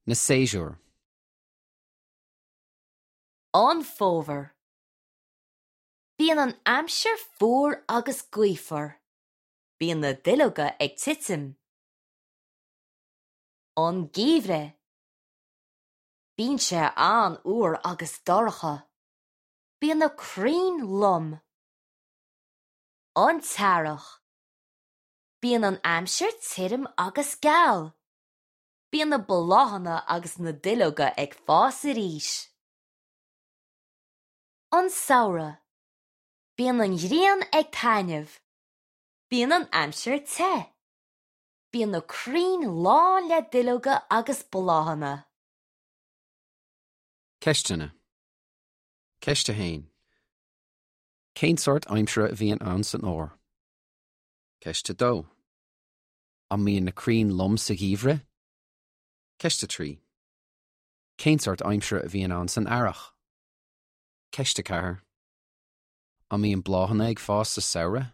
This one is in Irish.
Na séasúir. An Fómhar. Bíonn an aimsir fuar agus gaofar. Bíonn na duilleoga ag titim. An Geimhreadh. Bíonn sé an-fhuar agus dorcha. Bíonn na crainn lom. An tEarrach. Bíonn an aimsir tirim agus geal. Bíonn na bláthanna agus na duilleoga ag fás arís. An Samhradh. Bíonn an ghrian ag taitneamh. Bíonn an aimsir te. Bíonn na crainn lán le duilleoga agus bláthanna. Ceisteanna. Ceist 1. Cén sórt aimsire a bhíonn ann san fhómhar? Ceist 2. An mbíonn na crainn lom sa gheimhreadh? Ceist 3. Cén sórt aimsire a bhíonn ann san earrach? Ceist 4. An mbíonn bláthanna ag fás sa samhradh?